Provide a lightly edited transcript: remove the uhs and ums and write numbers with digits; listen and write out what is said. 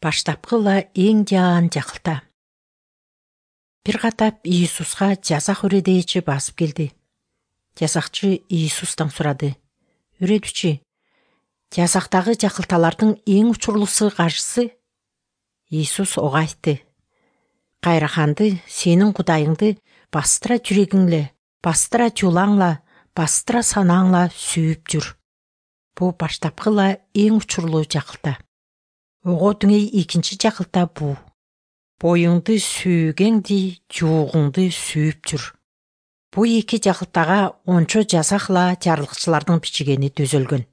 Баштапкыла эң жаан жакылта. Бир катап Иисуска жазак үредейчи басып келди. Жазакчы Иисустан сурады: "Үредүүчү, жазактагы жакылталардын эң учурлуусу кайсысы?" Иисус ого айтты: "Кайраханды, сенин Кудайыңды бастыра жүрөгүңлө, бастыра жулаңла, бастыра санааңла сүйүп жүр. Бул баштапкыла эң учурлуу жакылта. Ого дүңей экинчи жакылта бул: боюңду сүйгеңди, жуугуңду сүйүп жүр. Бул эки жакылтага ончо жазакла жарлыкчылардын бичигени түзөлгөн."